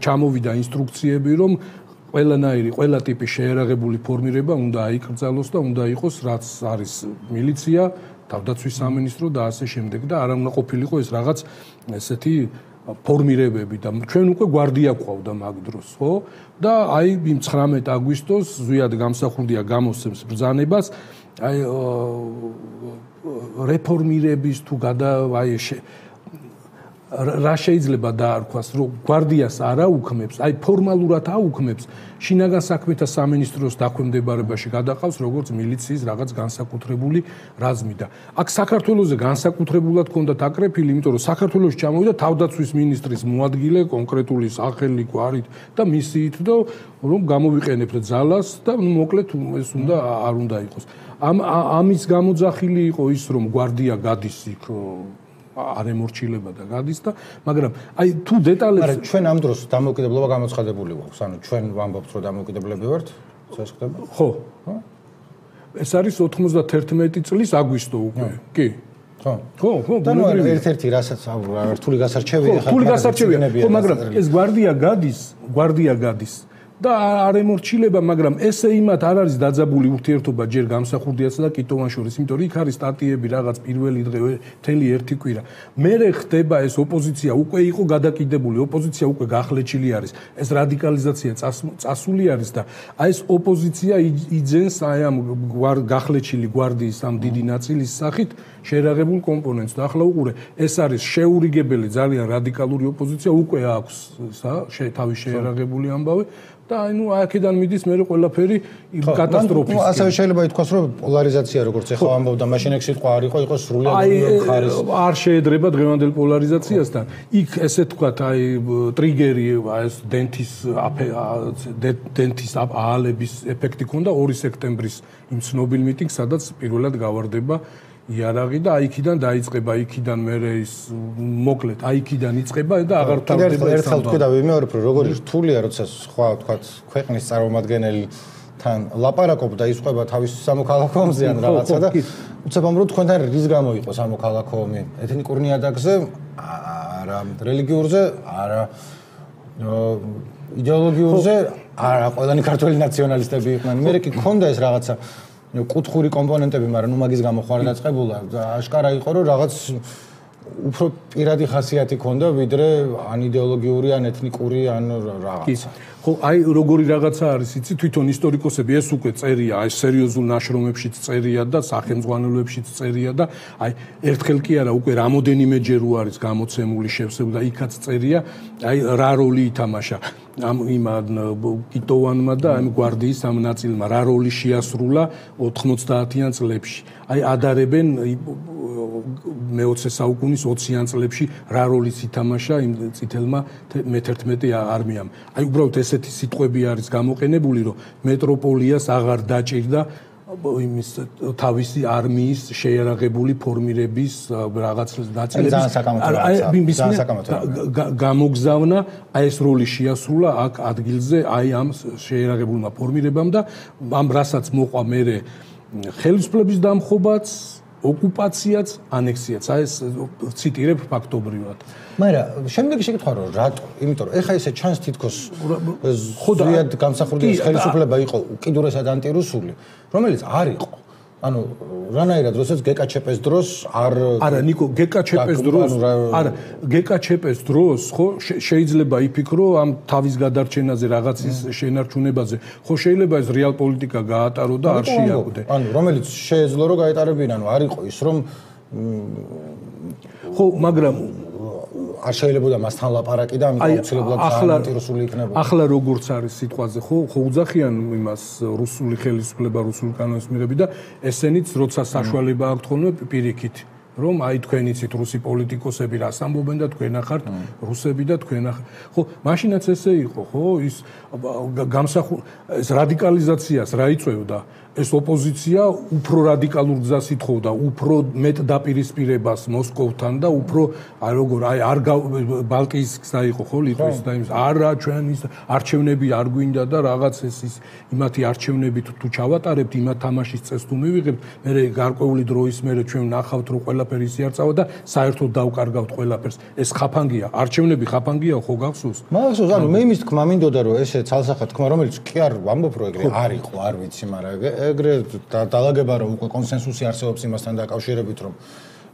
A: ჩამოვიდა ინსტრუქციები, რომ ყველანაირი, ყველა ტიპის შეერაღებული ფორმირება უნდა აიკრძალოს და უნდა იყოს რაც არის მილიცია, თავდაცვის სამინისტრო და ასე შემდეგ და არ უნდა ყოფილიყო ეს რაღაც ესეთი ფორმირებები და ჩვენ უკვე გვარდია გვყავდა მაგ დროს, ხო? და აი იმ ცხრამეტ აგვისტოს ზვიად გამსახურდია გამოსცემს ბრძანებას, აი რეფორმირების თუ გადა აი რა შეიძლება დაარქვას, რომ გვარდიას არ აუქმებს, აი ფორმალურად აუქმებს, შინაგან საქმეთა სამინისტროს დაქვემდებარებაში გადაყავს როგორც მილიციის რაღაც განსაკუთრებული რაზმი და აქ საქართველოზე განსაკუთრებულად ჰქონდათ აკრეფილი, იმიტომ რომ საქართველოში ჩამოვიდა თავდაცვის მინისტრის მოადგილე კონკრეტული სახელი გვარით და მისიით და რომ გამოვიყენებთ ძალას და მოკლედ ეს უნდა არ უნდა იყოს. ამ ამის გამოძახილი იყო ის, რომ გვარდია გადის იქ არ ემორჩილება და გადის და მაგრამ აი თუ დეტალებს
B: მაგრამ ჩვენ ამ დროს დამოუკიდებლობა გამოცხადებული გვაქვს ანუ ჩვენ ვამბობთ რომ დამოუკიდებლები ვართ ეს ხდება
A: ხო ეს არის ოთხმოცდაერთმეტი წლის აგვისტო უკვე კი
B: ხო
A: ხო ხო
B: და ერთ-ერთი რასაც რთული გასარჩევია
A: ხო რთული გასარჩევია ხო მაგრამ ეს გვარდია გადის გვარდია გადის და არ ემორჩილება, მაგრამ ესე იმათ არ არის დაძაბული ურთიერთობა ჯერ გამსახურდიასა და კიტოვან შორის, იმიტომ რომ იქ არის სტატიები რაღაც პირველი დღე, მთელი ერთი კვირა. მერე ხდება ეს ოპოზიცია უკვე იყო გადაკიდებული, ოპოზიცია უკვე გახლეჩილი არის. ეს რადიკალიზაცია წასული არის და აი ეს ოპოზიცია იძენს აი ამ გახლეჩილი გვარდიის ამ დიდი ნაწილის სახით შეერაღებულ კომპონენტს და ახლა უყურე, ეს არის შეურიგებელი ძალიან რადიკალური ოპოზიცია უკვე აქვს თავის შეერაღებული ამბავი. და აი ნუ აქედან მიდის მე ყველაფერი კატასტროფის.
B: ნუ ასევე შეიძლება ითქვას რომ პოლარიზაცია როგორც ეხლა ამბობდა მაშინ ეგ სიტყვა არ იყო, იყო სრულად ხარის.
A: არ შეედრება დღევანდელ პოლარიზაციასთან. იქ ესე თქვათ აი ტრიგერი ეს დენთის დენთის აალების ეფექტი ქონდა ორი სექტემბრის იმ ცნობილ მიტინგს, სადაც პირველად გავარდება იარაღი და აიქიდან დაიწყება, აიქიდან მერე ის მოკლედ, აიქიდან იწყება და აღარ თავდება ეს.
B: ერთხელ თქვი და ვიმეორებ რომ როგორი რთულია, როცა სხვა თქვათ ქვეყნის წარმომადგენელი თან ლაპარაკობ და ისყვება თავის სამოქალაქო ომზე ან რაღაცა და უცებ ამ რო თქვენთან რის გამო იყო სამოქალაქო ომი? ეთნიკურ ნიადაგზე, არა რელიგიურზე, არა იდეოლოგიურზე, არა ყველანი ქართველი ნაციონალისტები იყვნენ. მე კი ქონდა ეს რაღაცა კუთხური კომპონენტები, მაგრამ ნუ მაგის გამო ხარ დაწყებულა და აშკარა იყო რომ რაღაც უფრო პირადი ხასიათი ქონდა ვიდრე ან იდეოლოგიური ან ეთნიკური ან რაღაცა.
A: ხო, აი როგორი რაღაცა არის, იცი, თვითონ ისტორიკოსები ეს უკვე წერია, აი სერიოზულ ნაშრომებშიც წერია და სახელმძღვანელოებშიც წერია და აი ერთხელ კი არა, უკვე რამოდენიმეჯერ არის გამოცემული შევსება და იქაც წერია, აი რა როლი ითამაშა ამ იმ კიტოვანმა და ამ გვარდიის ამ ნაწილმა რა როლი შეასრულა ოთხმოცდაათიან წლებში. აი ადარებენ მეოცე საუკუნის ოციან წლებში რა როლიც ითამაშა იმ წითელმა მეთერთმეტე არმიამ. აი უბრალოდ ესეთი სიტყვები არის გამოყენებული, რომ მეტროპოლიას აღარ დაჭირდა იმის თავისი არმიის შეერაღებული ფორმირების რაღაც ნაწილების გამოგზავნა, აი ეს როლი შეასრულა აქ ადგილზე, აი ამ შეერაღებულმა ფორმირებამ და ამ რასაც მოყვა მერე ხელისუფლების დამხობაც, ოკუპაციაც, ანექსიაც, აი ეს ციტირებ ფაქტობრივად.
B: მაგრამ შემდეგი შეკითხვა რომ რატო? იმიტომ რომ ეხა ესე ჩანს თითქოს ხოდიად გამსახურდიას ხელისუფლება იყო უკიდურესად ანტირუსული, რომელიც არ იყო. ანუ რანაირად როდესაც გეკაჩეპეს დროს არ
A: არა ნიკო გეკაჩეპეს დროს არა გეკაჩეპეს დროს ხო შეიძლება იფიქრო ამ თავის გადარჩენაზე რაღაცის შენარჩუნებაზე ხო შეიძლება ეს რეალ პოლიტიკა გაატარო და არ შეიაკვდე
B: ანუ რომელიც შეეძლო რომ გაეტარებინა ანუ არ იყო ის რომ
A: ხო მაგრამ
B: არ შეიძლება მასთან ლაპარაკი და ამიტომ აუცილებლად ანტირუსული იქნება.
A: ახლა როგორც არის სიტყვაზე, ხო, ხო უძახიან იმას რუსული ხელისუფლება, რუსული კანონის მიღები და ესენიც როცა საშუალება აქვთ ხოლმე პირიქით რომ აი თქვენ იცით რუსი პოლიტიკოსები რას ამბობენ და თქვენ ახართ რუსები და თქვენ ახ ხო მაშინაც ესე იყო ხო ის გამსახურ ეს რადიკალიზაციას რა იწევდა ეს ოპოზიცია უფრო რადიკალურ გზას ითხოვდა, უფრო მეტ დაპირისპირებას მოსკოვთან და უფრო აი როგორ აი არ ბალტიის გზა იყო ხო ლიტვის და იმის არა ჩვენ ის არჩევნები არ გვინდა და რაღაც ეს ის იმათი არჩევნებით თუ ჩავატარებთ იმათ თამაშის წეს თუ მივიღებთ მე გარკვეული დროის მერე ჩვენ ნახავთ რომ ყველაფერი ისიარწავა და საერთოდ დავკარგავთ ყველაფერს ეს ხაფანგია არჩევნები ხაფანგია ხო გახსოვს
B: მახსოვს ანუ მე იმის თქმა მინდოდა რომ ესე ცალსახად თქმა რომელიც კი არ ვამბობ რომ ეგრე არ იყო არ ვიცი მაგრამ ეგრე დაალაგება რომ უკვე კონსენსუსი არსებობს იმასთან დაკავშირებით რომ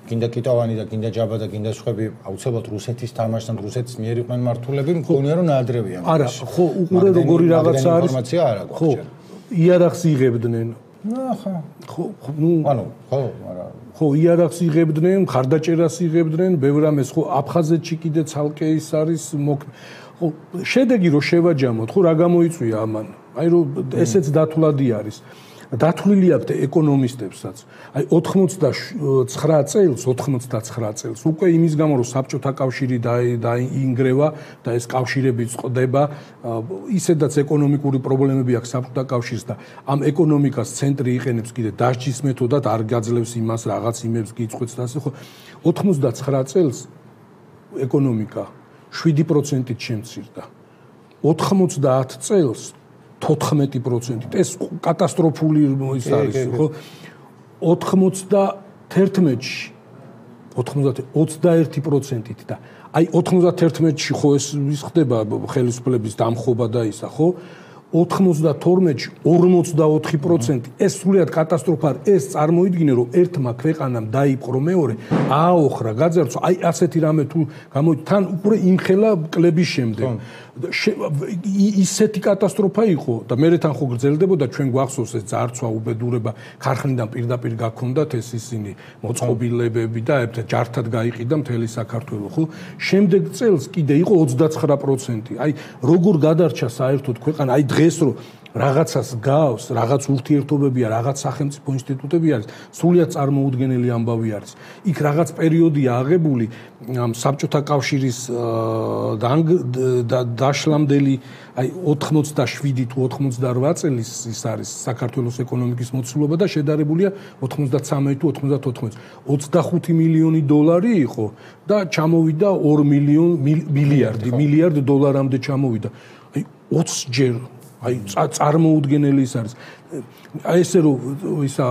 B: გინდა კიტოვანი და გინდა ჯაბა და გინდა სხვები აუცილებლად რუსეთის თამაშთან რუსეთის მიერ იყვნენ მართულები მგონია რომ ნაადრევია
A: არა ხო უყურე როგორი რაღაცა არის
B: ინფორმაცია არ აქვს
A: ხო იარაღს იღებდნენ
B: ახლა
A: ხო ნუ
B: ანუ ხო არა
A: ხო იარაღს იღებდნენ ხარდაჭერას იღებდნენ ბევრ ამას ხო აფხაზეთში კიდე ცალკე ის არის ხო შედეგი რო შევაჯამოთ ხო რა გამოიწვია ამან აი რომ ესეც დათვლადი არის დათვლილი აქვს ეკონომისტებსაც. აი ოთხმოცდაცხრა წელს, ოთხმოცდაცხრა წელს უკვე იმის გამო რომ საბჭოთა კავშირი დაინგრევა და ეს კავშირები წყდება, ისედაც ეკონომიკური პრობლემები აქვს საბჭოთა კავშირს და ამ ეკონომიკას ცენტრი იყენებს კიდე დასჯის მეთოდად, არ გაძლევს იმას რაღაც იმებს გიწყვეტს და ასე ხო. ოთხმოცდაცხრა წელს ეკონომიკა შვიდი პროცენტით შემცირდა. ოთხმოცდაათ წელს თოთხმეტი პროცენტით ეს კატასტროფული ის არის ხო ოთხმოცდაათში ოცდაერთი პროცენტით და აი ოცდაათში ხო ეს ის ხდება ხელისუფლების დამხობა და ისა ხო ოთხმოცდათორმეტში ორმოცდაოთხი პროცენტი ეს სრულიად კატასტროფა ეს წარმოიდგინე რომ ერთმა ქვეყანამ დაიპყრო მეორე ააოხრა გაძარცვა აი ასეთი რამე თუ გამოიწ თან უკვე იმხელა კლების შემდეგ ისეთი კატასტროფა იყო და მე თან ხო გრძელდებოდა ჩვენ გვახსოვს ეს ძარცვა უბედურება ქარხნიდან პირდაპირ გაქონდათ ეს ისინი მოწყობილებები და ჯართად გაიყიდა მთელი საქართველო ხო შემდეგ წელს კიდე იყო ოცდაცხრა პროცენტი აი როგორ გადარჩა საერთოდ ქვეყანა აი დღეს რო რაღაცას გავს, რაღაც ურთიერთობებია, რაღაც სახელმწიფო ინსტიტუტები არის, სრულიად წარმოუდგენელი ამბავი არის. იქ რაღაც პერიოდია აღებული საბჭოთა კავშირის დაშლამდელი აი ოთხმოცდაშვიდი თუ ოთხმოცდარვა წლის ის არის საქართველოს ეკონომიკის მოცულობა და შედარებულია ოთხმოცდაცამეტი თუ ოცდათოთხმეტი. ოცდახუთი მილიონი დოლარი იყო და ჩამოვიდა ორ მილიარდი, მილიარდ დოლარამდე ჩამოვიდა. აი ოცი ჯერ აი წარმოუდგენელი ის არის. აი ესე რომ ისა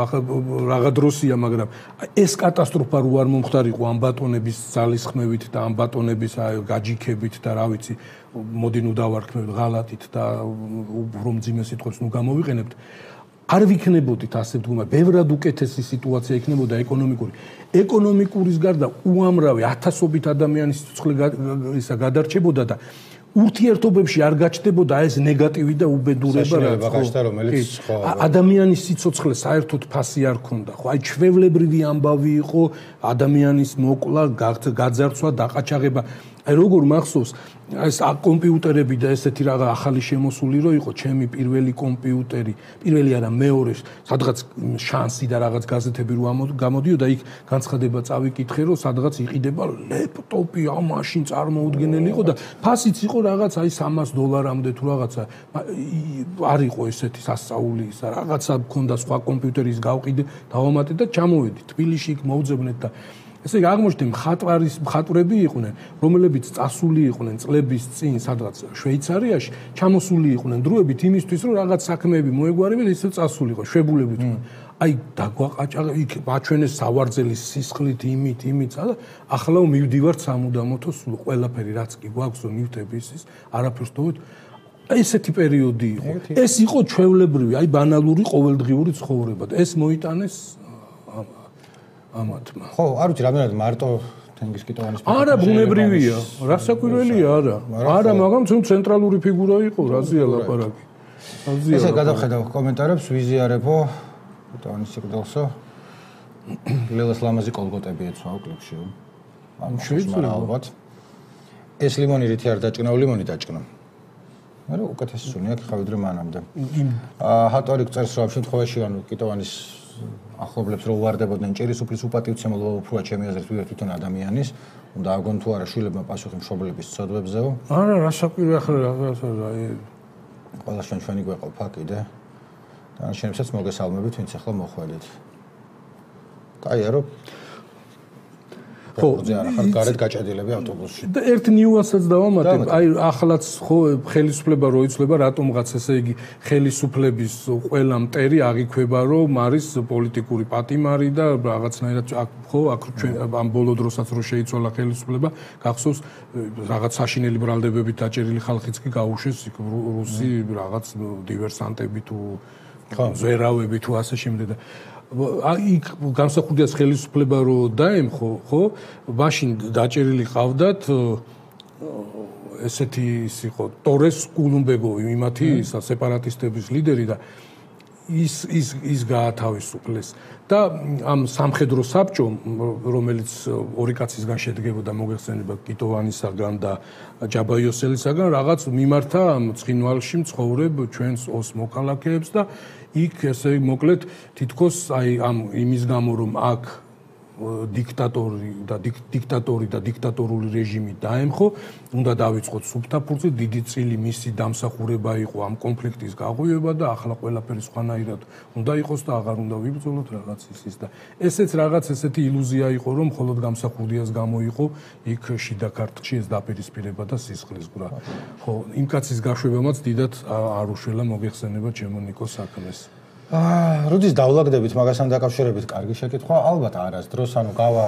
A: რაღა დროსია, მაგრამ ეს კატასტროფა რო არ მომხდარიყო ამ ბატონების ძალისხმევით და ამ ბატონების გაჯიქებით და რა ვიცი, მოდი ნუ დავარქმევთ ღალატით და უფრო მძიმე სიტყვებს ნუ გამოვიყენებთ. არ ვიქნებოდით ასე ვთქვა, ბევრად უკეთესი სიტუაცია იქნებოდა ეკონომიკური. ეკონომიკურის გარდა უამრავი ათასობით ადამიანის სიცოცხლე ისა გადარჩებოდა და ურთიერთობებში არ გაჩნდებოდა ეს ნეგატივი და უბედურება
B: რომელიც ხო
A: ადამიანის სიცოცხლე საერთოდ ფასი არ ქონდა ხო აი ჩვევლებრივი ამბავი იყო ადამიანის მოკლა გაძარცვა დაყაჩაღება აი როგორ მახსოვს ეს კომპიუტერები და ესეთი რაღა ახალი შემოსული რო იყო ჩემი პირველი კომპიუტერი პირველი არა მეორე სადღაც შანსი და რაღაც გაზეთები რო გამოდიოდა იქ განცხადება წავიკითხე რომ სადღაც იყიდება ლეპტოპი ამ მაშინ წარმოუდგენელი იყო და ფასიც იყო რაღაც აი სამას დოლარამდე თუ რაღაცა არ იყო ესეთი სასწაული ისა რაღაცა მქონდა სხვა კომპიუტერის გავყიდე დავამატე და ჩამოვედი თბილისში იქ მოვძებნეთ და ესე იგი აღმოჩნდა მხატვარის მხატვრები იყვნენ რომლებიც წასული იყვნენ წლების წინ სადღაც შვეიცარიაში ჩამოსული იყვნენ დროებით იმისთვის რომ რაღაც საქმეები მოეგვარებინათ ისე წასული იყო შვებულებით აი დაგვაყაჭაღე იქ მაჩვენეს სავარძელის სისხლით იმით იმით და ახლა მივდივართ სამუდამოთო სულ ყველაფერი რაც კი გვაქვს რომ მივდები ის არაფერს თოვით ესეთი პერიოდი იყო ეს იყო ჩვევლებრივი აი ბანალური ყოველდღიური ცხოვრება და ეს მოიტანეს ამათმა.
B: ხო, არ ვიცი, რამდენად მარტო თენგიზ კიტოვანის
A: არა, ბუნებრივია, რასაკვირველია არა. არა, მაგრამ თუ ცენტრალური ფიგურა იყო, რაზეა ლაპარაკი. რაზეა.
B: ესე გადავხედავ კომენტარებს, ვიზიარებო კიტოვანის სიკვდილსო. ლელას ლამაზი კოლგოტები ეცვაო კლიპში. ანუ შეიძლება ალბათ. ეს ლიმონი რითი არ დაჭკნაო, ლიმონი დაჭკნა. მაგრამ უკეთესი სუნი აქვს ხავიდრე მანამდე. აა ჰატორი წერს რომ ამ შემთხვევაში ანუ კიტოვანის ახლობლებს რო უვარდებოდნენ ჭირის უფლის უპატივცემლობა უფრო ჩემი აზრით ვიღებ თვითონ ადამიანის უნდა აგონ თუ არა შვილებმა პასუხი მშობლების ცოდვებზეო
A: არა რა საკვირი ახლა რაღაცა აი
B: ყველა ჩვენ ჩვენი გვეყოფა კიდე დანარჩენებსაც მოგესალმებით ვინც ახლა მოხვედით კაია რომ ხო ზეარა ხარ გარეთ გაჭედილები ავტობუსში
A: და ერთ ნიუანსსაც დავამატებ აი ახლაც ხო ხელისუფლება რო იცლება რატომღაც ესე იგი ხელისუფლების ყველა მტერი აღიქვება რომ არის პოლიტიკური პატიმარი და რაღაცნაირად ხო აქ ჩვენ ამ ბოლო დროსაც რო შეიცვალა ხელისუფლება გახსოვს რაღაც საშინელი ბრალდებებით დაჭერილი ხალხიც კი გაუშვეს იქ რუსი რაღაც დივერსანტები თუ ზერავები თუ ასე შემდეგ იქ განსახურდიას ხელისუფლება რო დაემხო, ხო? მაშინ დაჭერილი ყავდათ ესეთი ის იყო ტორეს კულუმბეგოვი, იმათი სეპარატისტების ლიდერი და ის ის ის გაათავისუფლეს და ამ სამხედრო საბჭომ, რომელიც ორი კაცისგან შედგებოდა, მოგეხსენება კიტოვანისაგან და ჯაბაიოსელისაგან, რაღაც მიმართა ამ ცხინვალში მცხოვრებ ჩვენს ოს მოქალაქეებს და იქ ესე მოკლედ თითქოს აი ამ იმის გამო რომ აქ დიქტატორი და დიქტატორი და დიქტატორული რეჟიმი დაემხო, უნდა დავიწყოთ სუფთაფურცი, დიდი წილი მისი დამსახურება იყო ამ კონფლიქტის გაღვივება და ახლა ყველაფერი სხვანაირად უნდა იყოს და აღარ უნდა ვიბრძოლოთ რაღაც ისის და ესეც რაღაც ესეთი ილუზია იყო რომ მხოლოდ გამსახურდიას გამო იყო იქ შიდა ქართლში ეს დაპირისპირება და სისხლის გრა. ხო, იმ კაცის გაშვებამაც დიდად არ უშველა მოგეხსენება ჩემო ნიკო საქმეს.
B: აა, როდის დავლაგდებით მაგასთან დაკავშირებით, კარგი შეკითხვა, ალბათ არასდროს, ანუ გავა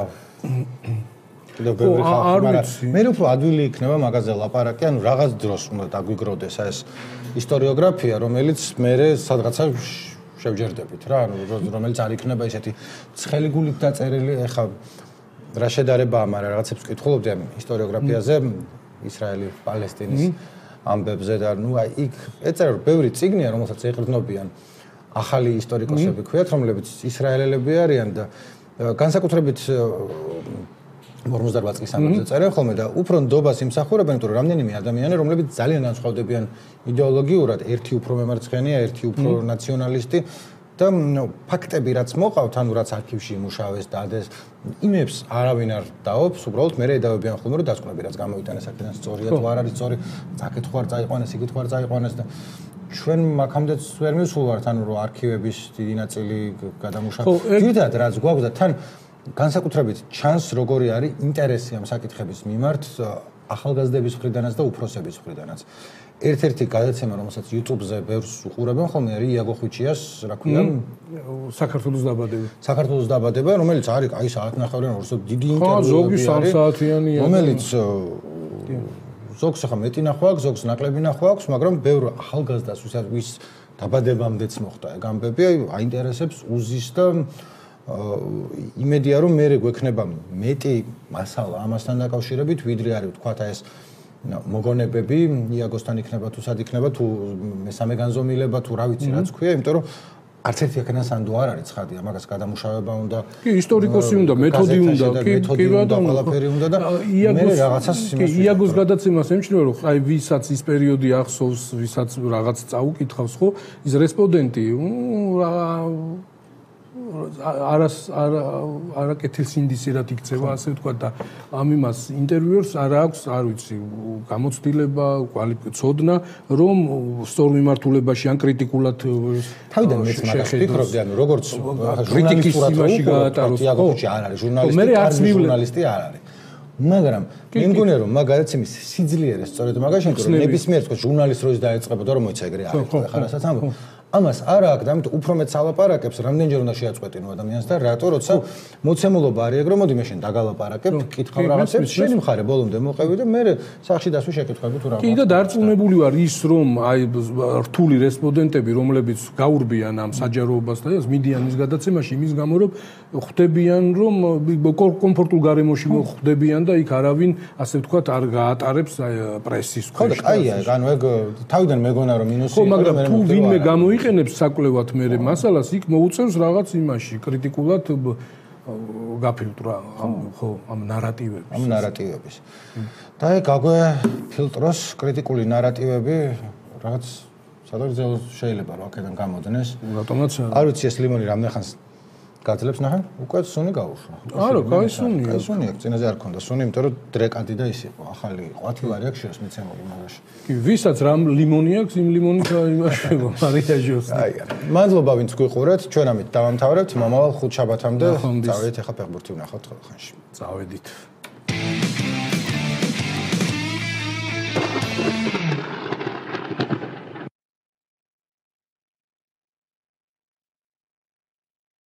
B: კიდევ ბევრი ხალხი, მაგრამ მე უფრო ადვილი იქნება მაგაზე ლაპარაკი, ანუ რაღაც დროს უნდა დაგვიგროვდეს ეს ისტორიოგრაფია, რომელიც მე სადღაცა შევჯერდებით რა, ანუ რომელიც არ იქნება ესეთი ცხელი გულით დაწერილი, ეხა რა შედარებაა, მაგრამ რაღაცებს ვკითხულობდი ამ ისტორიოგრაფიაზე, ისრაელი, პალესტინის ამბებზე და ნუ აი იქ ეწერა რომ ბევრი წიგნია, რომელსაც ეყრდნობიან ახალი ისტორიკოსები ქვიათ, რომლებიც ისრაელელები არიან და განსაკუთრებით ორმოცდარბა წლის ამბებზე წერენ ხოლმე და უფრო ნდობას იმსახურებენ, იმიტომ რომ რამდენიმე ადამიანი, რომლებიც ძალიან განსხვავდებიან იდეოლოგიურად, ერთი უფრო მემარცხენეა, ერთი უფრო ნაციონალისტი და ფაქტები რაც მოყავთ, ანუ რაც არქივში იმუშავეს, დადეს, იმებს არავინ არ დაობს, უბრალოდ მე ედავებიან ხოლმე რომ დასკვნები რაც გამოვიტანეს აქედან სწორია თუ არ არის სწორი, საკითხი არ წაიყვანეს, იგივე არ წაიყვანეს და ჩვენ მაგამდეც ვერ მივსულვართ, ანუ რომ არქივების დიდი ნაწილი გადამუშავება. ძირითადად რაც გვაქვს და თან განსაკუთრებით ჩანს როგორი არის ინტერესი ამ საკითხების მიმართ ახალგაზრდების მხრიდანაც და უფროსების მხრიდანაც. ერთ-ერთი გადაცემა, რომელსაც YouTube-ზე ბევრს უყურებენ ხოლმე, არის იაგო ხვიჩიას, რა ქვია,
A: საქართველოს დაბადება.
B: საქართველოს დაბადება, რომელიც არის აი საათნახევრიან ორსო დიდი
A: ინტერვიუ. ხო, ზოგი სამ საათიანია.
B: რომელიც ზოგს ახლა მეტი ნახვა აქვს, ზოგს ნაკლები ნახვა აქვს, მაგრამ ბევრ ახალგაზრდას ვის დაბადებამდეც მოხდა ეგ ამბები, აინტერესებს უზის და იმედია რომ მე გვექნება მეტი მასალა ამასთან დაკავშირებით, ვიდრე არის თქვათ ეს მოგონებები იაგოსთან იქნება თუ სად იქნება თუ მესამე განზომილება თუ რა ვიცი რაც ქვია, იმიტომ რომ არც ერთი აქედან სანდო არ არის ცხადია, მაგას გადამუშავება უნდა.
A: კი, ისტორიკოსი უნდა, მეთოდი უნდა, კი, კი ბატონო,
B: ყველაფერი უნდა და მე რაღაცას
A: იმას. იაგოს გადაცემას ემჩნევა, რომ აი ვისაც ის პერიოდი ახსოვს, ვისაც რაღაც წაუკითხავს, ხო, ის რესპონდენტი, არას არაკეთილ სინდისერად იქცევა, ასე ვთქვა და ამ იმას ინტერვიუერს არ აქვს, არ ვიცი, გამოცდილება, კვალიფიკაცია, რომ სწორ მიმართულებაში ან კრიტიკულად
B: თავიდან მეც მაგას ვფიქრობდი, ანუ როგორც ჟურნალისტურად
A: იმაში გაატაროს,
B: ხო, არ არის ჟურნალისტი, არ ჟურნალისტი არ არის. მაგრამ მე მგონია რომ მაგ გადაცემის სიძლიერე სწორედ მაგაში, რომ ნებისმიერ თქო ჟურნალისტ როის დაეწყებოდა რომ მოიცა ეგრე არის, ხა რასაც ამბობ. ამას არა აქვს და ამიტომ უფრო მეც ალაპარაკებს, რამდენჯერ უნდა შეაწყვეტინო ადამიანს და რატო როცა მოცემულობა არის ეგ რომ მოდი მე შენ დაგალაპარაკებ, კითხავ რაღაცებს, შენი მხარე ბოლომდე მოყევი და მე სახში დასვი შეკითხები თუ რა.
A: კი და დარწმუნებული ვარ ის რომ აი რთული რესპონდენტები, რომლებიც გაურბიან ამ საჯაროებას და მიდიან ის გადაცემაში იმის გამო რომ ხვდებიან რომ კომფორტულ გარემოში ხვდებიან და იქ არავინ ასე ვთქვათ არ გაატარებს პრესის
B: ხო და კაია ეგ ანუ ეგ თავიდან მეგონა რომ მინუსი
A: ხო მაგრამ თუ ვინმე გამოიყენებს საკლევად მე მასალას იქ მოუწევს რაღაც იმაში კრიტიკულად გაფილტრა ხო ამ ნარატივებს
B: ამ ნარატივების და ეგ გაგვე ფილტროს კრიტიკული ნარატივები რაღაც სადღაც შეიძლება რომ აქედან გამოდგნეს
A: რატომაც
B: არ ვიცი ეს ლიმონი რამდენ ხანს გაძლებს ნახე, უკვე სუნი გაუშვა.
A: არა, კაი სუნია.
B: კაი სუნია, წინაზე არ ქონდა სუნი, იმიტომ რომ დრეკადი და ის იყო, ახალი იყო, ათივარი აქვს შეს მიცემული მაგაში.
A: კი, ვისაც რამ ლიმონი აქვს, იმ ლიმონით იმაშება მარიაჟოს.
B: აი, მადლობა ვინც გვიყურეთ, ჩვენ ამით დავამთავრებთ, მომავალ ხუთშაბათამდე წავედით ახლა ფეხბურთი ვნახავთ ხოლმე ხანში.
A: წავედით.